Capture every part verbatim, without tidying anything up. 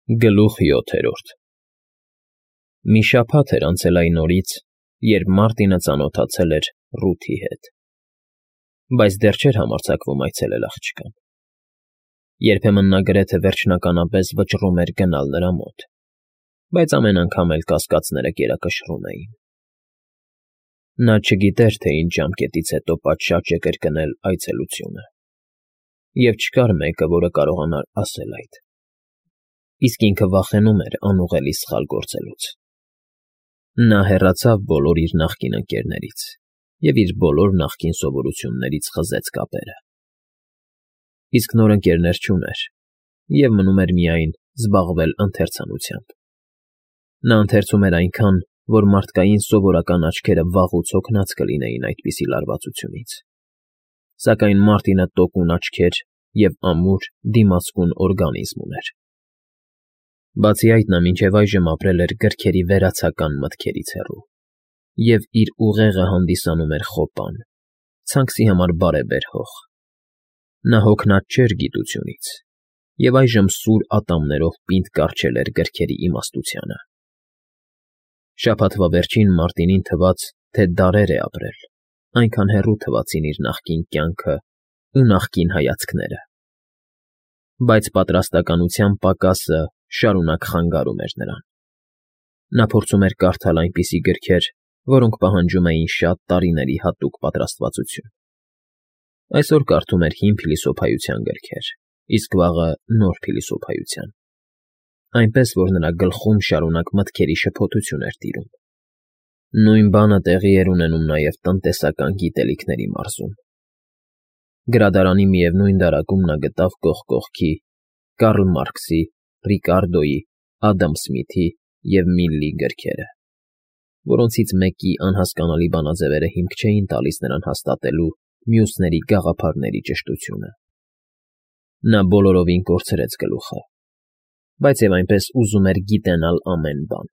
Գլուխ յոթերորդ Մի շաբաթ էր անցել այն օրից, երբ Մարտինը ծանոթացել էր Ռութի հետ, բայց դեռ չէր համարձակվում այցելել աղջկան. երբեմն նա գրեթե վերջնականապես վճռում էր գնալ նրա մոտ, բայց ամեն անգամ էլ կասկածները գերակշռում էին. նա չգիտեր, թե ինչ ժամկետից հետո պատշաճ է կրկնել այցելությունը, և չկար մեկը, որը կարողանար ասել այդ, իսկ ինքը վախենում էր անուղելի սխալ գործելուց. նա հեռացավ բոլոր իր նախկին ընկերներից և իր բոլոր նախկին սովորություններից խզեց կապերը, իսկ նոր ընկերներ չուներ, և մնում էր միայն զբաղվել ընթերցանությամբ. նա ընթերցում էր այնքան, որ մարդկային սովորական աչքերը վաղուց հոգնած կլինեին այդպիսի լարվածությունից, սակայն Մարտինը տոկուն աչքեր և ամուր, դիմացկուն օրգանիզմ ուներ. բացի այդ նա մինչև այժմ ապրել էր գրքերի վերացական մտքերից հեռու և իր ուղեղը հանդիսանում էր խոպան, ցանքսի համար բարեբեր հող. նա հոգնած չէր գիտությունից և այժմ սուր ատամներով պինդ կառչել էր գրքերի իմաստությանը. շաբաթվա վերջին Մարտինին թվաց, թե դարեր է ապրել, այնքան հեռու թվացին իր նախկին կյանքն ու նախկին հայացքները, բայց պատրաստակամության պակասը շարունակ խանգարում էր նրան. նա փորձում էր կարդալ այնպիսի գրքեր, որոնք պահանջում էին շատ տարիների հատուկ պատրաստվածություն. այսօր կարդում էր հին փիլիսոփայության գրքեր, իսկ վաղը նոր փիլիսոփայության, այնպես որ նրա գլխում շարունակ մտքերի շփոթություն էր տիրում. նույն բանը տեղի էր ունենում նաև տնտեսական գիտելիքների մարզում. գրադարանի միևնույն դարակում նա գտավ կողք կողքի Կարլ Մարքսի, Ռիկարդոյի, Ադամ Սմիթի և Միլլի գրքերը, որոնցից մեկի անհասկանալի բանաձևերը հիմք չէին տալիս նրան հաստատելու մյուսների գաղափարների ճշտությունը. նա բոլորովին կորցրեց գլուխը, բայց և այնպես ուզում էր գիտենալ ամեն բան,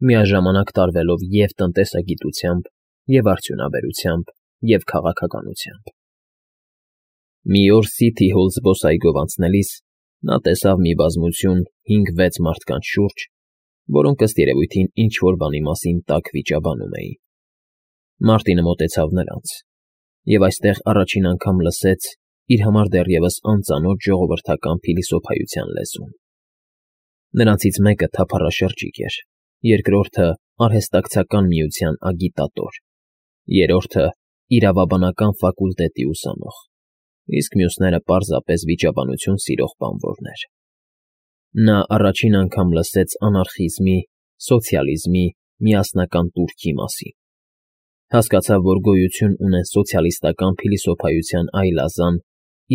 միաժամանակ տարվելով և տնտեսագիտությամբ, և արդյունաբերությամբ, և քաղաքականությամբ. մի օր Սիթի Հոլ զբոսայգով անցնելիս նա տեսավ մի բազմություն հինգ֊վեց մարդկանց շուրջ, որոնք ըստ երևույթին ինչ֊որ բանի մասին տաք վիճաբանում էին. Մարտինը մոտեցավ նրանց և այստեղ առաջին անգամ լսեց իր համար դեռևս անծանոթ ժողովրդական փիլիսոփայության լեզուն. նրանցից մեկը թափառաշրջիկ էր, երկրորդը արհեստակցական միության ագիտատոր, երրորդը իրավաբանական ֆակուլտետի ուսանող, իսկ մյուսները պարզապես վիճաբանություն սիրող բանվորներ. նա առաջին անգամ լսեց անարխիզմի, սոցիալիզմի, միասնական տուրքի մասին, հասկացավ, որ գոյություն ունեն սոցիալիստական փիլիսոփայության այլազան,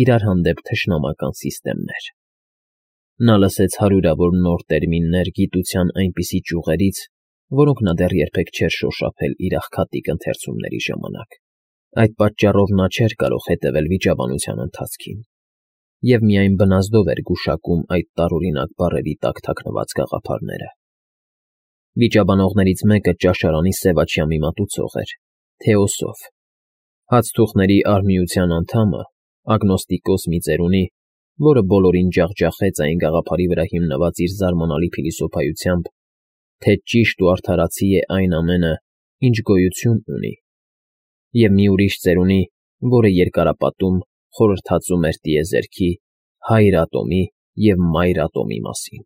իրար հանդեպ թշնամական սիստեմներ. նա լսեց հարյուրավոր նոր տերմիններ գիտության այնպիսի ճյուղերից, որոնք նա դեռ երբեք չէր շոշափել իր աղքատիկ ընթերցումների ժամանակ. այդ պատճառով նա չէր կարող հետևել վիճաբանության ընթացքին և միայն բնազդով էր գուշակում այդ տարօրինակ բառերի տակ թաքնված գաղափարները. վիճաբանողներից մեկը ճաշարանի սևաչյա մի մատուցող էր, թեոսոֆ, հացթուխների արհմիության անդամը, ագնոստիկոս մի ծերունի, որը բոլորին ջախջախեց այն գաղափարի վրա հիմնված իր զարմանալի փիլիսոփայությամբ, թե ճիշտ ու արդարացի է այն ամենը, ինչ գոյություն ունի, և մի ուրիշ ծերունի, որը երկարապատում խորհրդածում էր տիեզերքի, հայր ատոմի և մայր ատոմի մասին.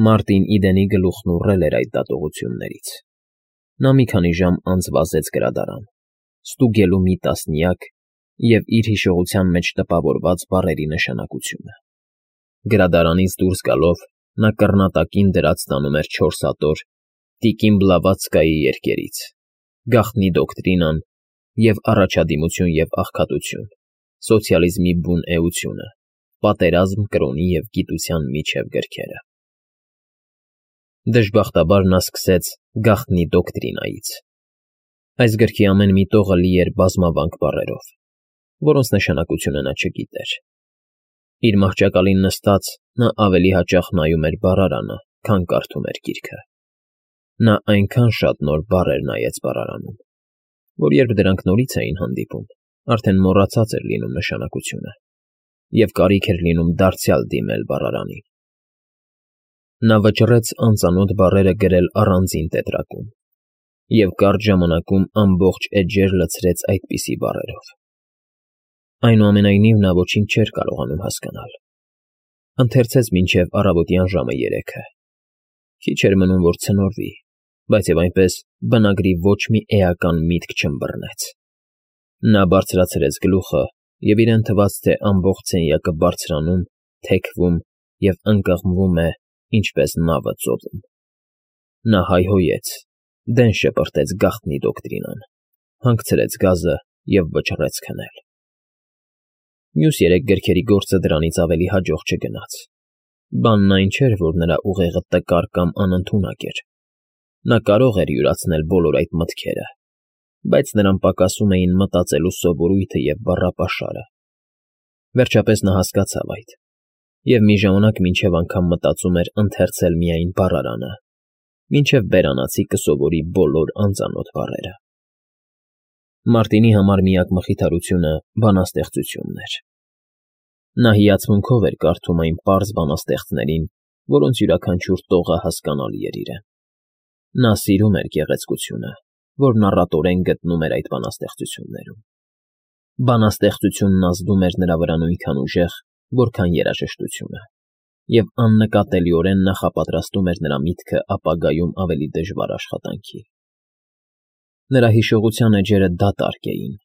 Մարտին Իդենի գլուխն ուռել էր այդ դատողություններից. նա մի քանի ժամ անց վազեց գրադարան, ստուգելու մի տասնյակ և իր հիշողության մեջ տպավորված բառերի նշանակությունը. գրադարանից դուրս գալով նա կռնատակին դրած տանում էր չորս ատոր Տիկին Բլավատսկայի երկերից, Գաղտնի դոկտրինան և Առաջադիմություն և աղքատություն, Սոցիալիզմի բուն էությունը, Պատերազմ կրոնի և գիտության միջև գրքերը. դժբախտաբար նա սկսեց Գաղտնի դոկտրինայից. այս գրքի ամեն մի տողը լի էր բազմավանք բառերով, որոնց նշանակությունը նա չգիտեր. իր մահճակալին նստած նա ավելի հաճախ նայում էր բառարանը, քան կարդում էր գիրքը. նա այնքան շատ նոր բառեր նայեց բառարանում, որ երբ դրանք նորից էին հանդիպում, արդեն մոռացած էր լինում նշանակությունը, և կարիք էր լինում դարձյալ դիմել բառարանին. Նա վճռեց անծանոթ բառերը գրել առանձին տետրակում և կարճ ժամանակում ամբողջ էջեր լցրեց այդպիսի բառերով։ Այնուամենայնիվ նա ոչինչ չէր կարողանում հասկանալ։ Ընթերցեց մինչև առավոտյան ժամը երեքը։ Քիչ էր մնում, որ ցնորվի, բայց և այնպես բնագրի ոչ մի էական միտք չըմբռնեց։ Նա բարձրացրեց գլուխը, և իրեն թվաց, թե ամբողջ սենյակը բարձրանում, թեքվում և ընկղմվում է, ինչպես նավը ծովում։ Նա հայհոյեց, դեն շպրտեց գաղտնի դոկտրինան, հանգցրեց գազը և վճռեց քնել։ Մյուս երեք գրքերի գործը դրանից ավելի հաջող չգնաց։ Բանն այն չէր, որ նրա ուղեղը տկար կամ անընդունակ էր։ Նա կարող էր յուրացնել բոլոր այդ մտքերը, բայց նրան պակասում էին մտածելու սովորույթը և բառապաշարը։ Վերջապես նա հասկացավ այդ և մի ժամանակ մինչև անգամ մտածում էր ընթերցել միայն բառարանը, մինչև բերանացի կսովորի բոլոր անծանոթ բառերը։ Մարտինի համար միակ մխիթարությունը բանաստեղծությունն էր։ Նա հիացմունքով էր կարդում այն պարզ բանաստեղծներին, որոնց յուրաքանչյուր տողը հասկանալի էր իրեն։ Նա սիրում էր գեղեցկությունը, որն առատորեն գտնում էր այդ բանաստեղծություններում։ Բանաստեղծությունն ազդում էր նրա վրա նույնքան ուժեղ, որքան երաժշտությունը, և աննկատելիորեն նախապատրաստում էր նրա միտքը ապագայում ավելի դժվար աշխատանքի։ Նրա հիշողության էջերը դատարկ էին,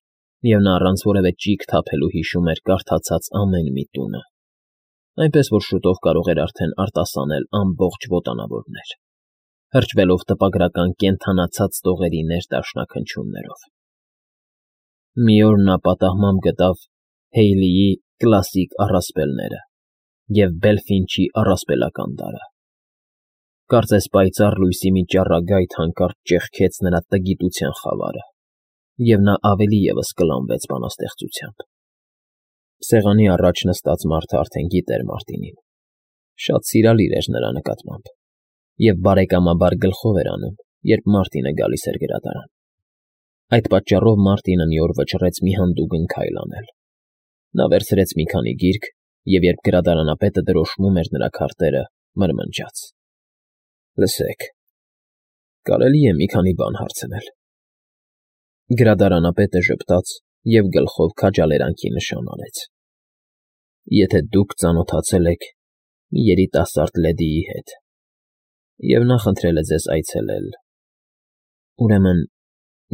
և նա առանց որևէ ճիգ թափելու հիշում էր կարդացած ամեն մի տունը, այնպես որ շուտով կարող էր արդեն արտասանել ամբողջ ոտանավորներ, հրճվելով տպագրական կենդանացած տողերի ներդաշնակնչյուններով։ Մի օր նա պատահմամբ գտավ Հեյլիի «Կլասիկ առասպելները» և Բելֆինչի «Առասպելական տարը»։ Կարծես պայծառ լույսի մի ճառագայթ հանկարծ ճեղքեց նրա տգիտության խավարը, և նա ավելի ևս կլանվեց բանաստեղծությամբ։ Սեղանի առաջ նստած մարդը արդեն գիտեր Մարտինին, շատ սիրալիր էր նրա նկատմամբ և բարեկամաբար գլխով էր անում, երբ Մարտինը գալիս էր գրադարան։ Այդ պատճառով Մարտինը մի օր վճռեց մի հանդուգն քայլ անել։ Նա վերցրեց մի քանի գիրք և, երբ գրադարանապետը դրոշմում էր նրա քարտերը, մրմնջաց. «Լսեք, կարելի՞ է մի քանի բան հարցնել»։ Գրադարանապետը ժպտաց և գլխով քաջալերանքի նշան արեց։ «Եթե դուք ծանոթացել եք մի երիտասարդ լեդիի հետ, և նա խնդրել է ձեզ այցելել, ուրեմն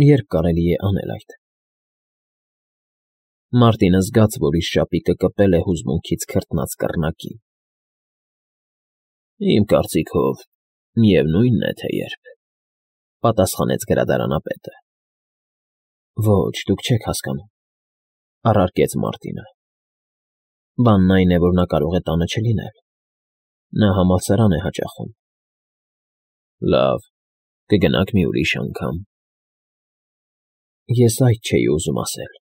ե՞րբ կարելի է անել այդ»։ Մարտինը զգաց, որ իր շապիկը կպել է հուզմունքից քրտնած կռնակին։ «Իմ կարծիքով, միևնույն է, թե երբ», ֊ պատասխանեց գրադարանապետը։ «Ոչ, դուք չեք հասկանում,֊ առարկեց Մարտինը։ Բանն այն է, որ նա կարող է տանը չլինել։ Նա համալսարան է հաճախում»։ «Լավ, կգնաք մի ուրիշ անգամ»։ «Ես այդ չէի ուզում ասել,֊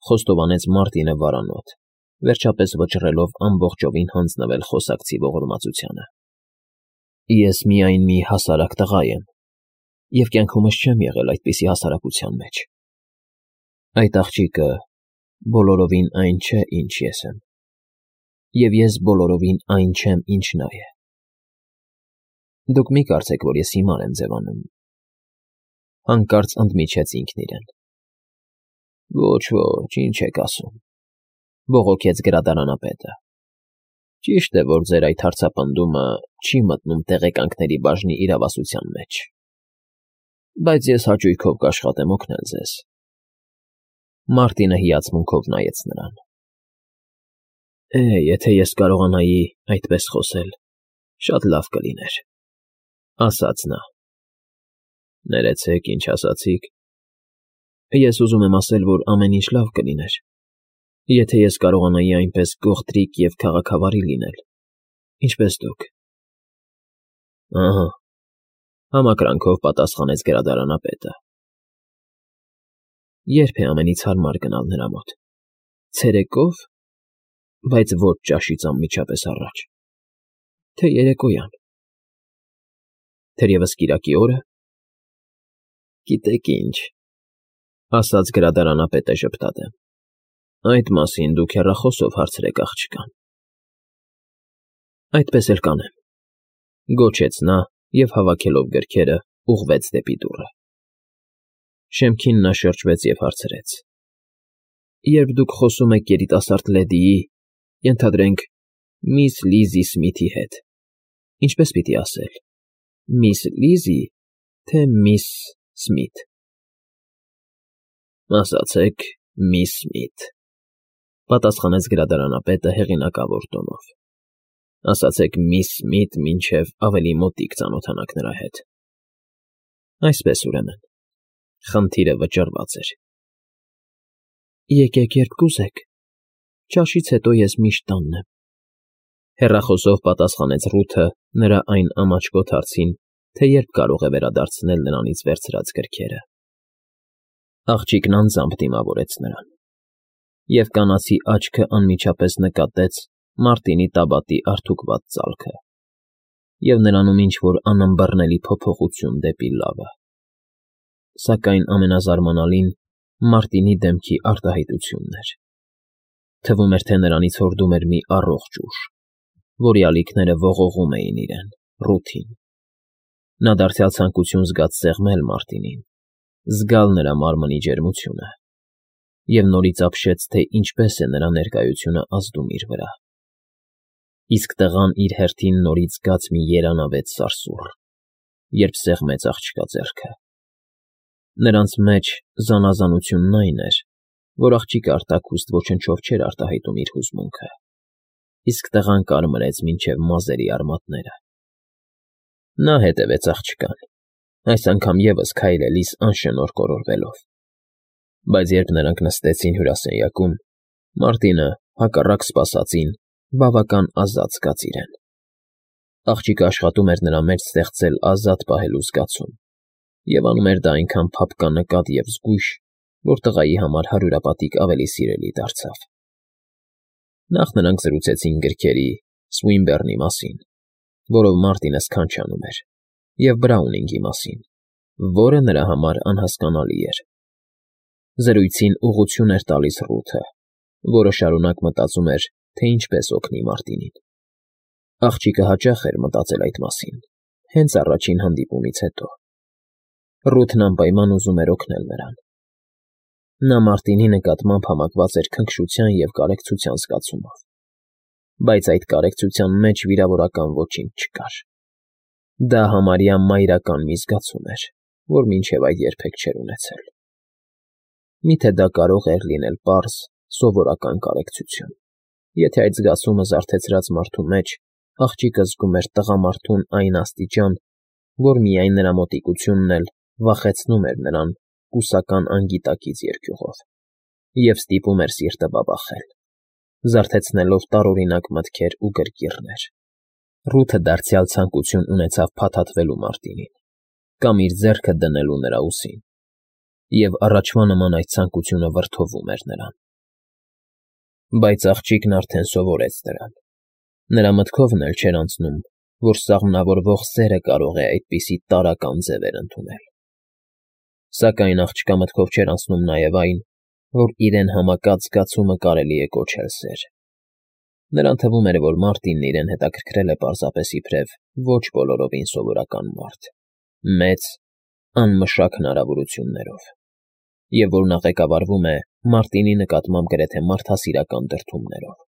խոստովանեց Մարտինը վարանոտ, վերջապես վճռելով ամբողջովին հանձնվել խոսակցի ողորմածությանը։ «Ես միայն մի հասարակ տղա եմ և կյանքումս չեմ եղել այդպիսի հասարակության մեջ։ Այդ աղջիկը բոլորովին այն չէ, ինչ ես եմ, և ես բոլորովին այն չեմ, ինչ նա է։ Դուք մի կարծեք, որ ես հիմար եմ ձևանում,֊ հանկարծ ընդմիջեց ինքն իրեն։ «Ոչ, ոչ, ինչ եք ասում,֊ բողոքեց գրադարանապետը։ Ճիշտ է, որ ձեր այդ հարցապնդումը չի մտնում տեղեկանքների բաժնի իրավասության մեջ, բայց ես հաճույքով կաշխատեմ օգնել ձեզ»։ Մարտինը հիացմունքով նայեց նրան։ «Է, եթե ես կարողանայի այդպես խոսել, շատ լավ կլիներ,֊ ասաց նա։ Ներեցեք, ինչ ասացիք։ Ես ուզում եմ ասել, որ ամեն ինչ լավ կլիներ, եթե ես կարողանայի այնպես գողտրիկ և քաղաքավարի լինել, ինչպես դուք»։ Ահա,֊ համակրանքով պատասխանեց գրադարանապետը։ Ե՞րբ է ամենից հարմար գնալ նրա մոտ։ Ցերեկո՞վ, բայց ոչ ճաշից անմիջապես առաջ, թե՞ երեկոյան։ Թերևս կիրակի օրը։ Գիտեք ինչ,֊ ասաց գրադարանապետը ժպտալով, այդ մասին դուք հեռախոսով հարցրեք աղջկան։ Այդպես էլ կանեմ։ Գոչեց նա և, հավաքելով գրքերը, ուղղվեց դեպի դուռը։ Շեմքին նա շրջվեց և հարցրեց. ֊ Երբ դուք խոսում եք երիտասարդ լեդիի, ենթադրենք, միս Լիզի Սմիթի հետ, ինչպե՞ս պիտի ասել. միս Լիզի, թե միս Սմիթ։ ֊ Ասացեք միս Սմիթ,֊ պատասխանեց գրադարանապետը հեղինակավոր տոնով։ ֊ Ասացեք միս Սմիթ, մինչև ավելի մոտիկ ծանոթանաք նրա հետ։ ֊ Այսպես, ուրեմն… Խնդիրը վճռված էր։ ֊ Եկեք, երբ կուզեք, ճաշից հետո ես միշտ տանն եմ,֊ հեռախոսով պատասխանեց Ռութը նրա այն ամաչկոտ հարցին, թե երբ կարող է վերադարձնել նրանից վերցրած գրքերը։ Աղջիկն անձամբ դիմավորեց նրան, և կանացի աչքը անմիջապես նկատեց Մարտինի տաբատի արթուկված ծալքը և նրանում ինչ֊որ անըմբռնելի փոփոխություն դեպի լավը։ Սակայն ամենազարմանալին Մարտինի դեմքի արտահայտությունն էր. թվում էր, թե նրանից հորդում էր մի առողջ ուժ, որի ալիքները ողողում էին իրեն, Ռութին։ Նա դարձյալ ցանկություն զգաց սեղմել Մարտինին, զգալ նրա մարմնի ջերմությունը, և նորից ապշեց, թե ինչպես է նրա ներկայությունը ազդում իր վրա։ Իսկ տղան իր հերթին նորից զգաց մի երանավետ սարսուռ, երբ սեղմեց աղջկա ձեռքը։ Նրանց մեջ զանազանությունն այն էր, որ աղջիկը արտաքուստ ոչնչով չէր արտահայտում իր հուզմունքը, իսկ տղան կարմրեց մինչև մազերի արմատները։ Նա հետևեց աղջկան, այս անգամ ևս քայլելիս անշնորհ կորորվելով։ Բայց երբ նրանք նստեցին հյուրասենյակում, Մարտինը, հակառակ սպասածին, բավական ազատ զգաց իրեն։ Աղջիկը աշխատում էր նրա մեջ ստեղծել ազատ պահելու զգացում և անում էր դա այնքան փափկանկատ և զգույշ, որ տղայի համար հարյուրապատիկ ավելի սիրելի դարձավ։ Նախ նրանք զրուցեցին գրքերի, Սուինբեռնի մասին, որով Մարտինը սքանչանում էր, և Բրաունինգի մասին, որը նրա համար անհասկանալի էր։ Զրույցին ուղղություն էր տալիս Ռութը, որը շարունակ մտածում էր, թե ինչպես օգնի Մարտինին։ Աղջիկը հաճախ էր մտածել այդ մասին, հենց առաջին հանդիպումից հետո։ Ռութն անպայման ուզում էր օգնել նրան։ Նա Մարտինի նկատմամբ համակված էր քնքշության և կարեկցության զգացումով, բայց այդ կարեկցության մեջ վիրավորական ոչինչ չկար։ Դա համարյա մայրական մի զգացում էր, որ մինչև այդ երբեք չէր ունեցել։ Միթե դա կարող էր լինել պարզ, սովորական կարեկցություն, եթե այդ զգացումը զարթեցրած մարդու մեջ աղջիկը զգում էր տղամարդուն այն աստիճան, որ միայն նրա մոտիկությունն էլ վախեցնում էր նրան կուսական անգիտակից երկյուղով և ստիպում էր սիրտը բաբախել, զարթեցնելով տարօրինակ մտքեր ու գրկիռներ։ Ռութը դարձյալ ցանկություն ունեցավ փաթաթվելու Մարտինին կամ իր ձեռքը դնելու նրա ուսին, և առաջվա նման այդ ցանկությունը վրդովում էր նրան։ Բայց աղջիկն արդեն սովորեց դրան։ Նրա մտքովն էլ չէր անցնում, որ սաղմնավորվող սերը կարող է այդպիսի տարրական ձևեր ընդունել։ Սակայն աղջկա մտքով չէր անցնում նաև այն, որ իրեն համակած զգացումը կարելի է կոչել սեր։ Նրան թվում էր, որ Մարտինն իրեն հետաքրքրել է պարզապես իբրև ոչ բոլորովին սովորական մարդ, մեծ, անմշակ հնարավորություններով, և որ նա ղեկավարվում է Մարտինի նկատմամբ գրեթե մարդասիրական դրդումներով։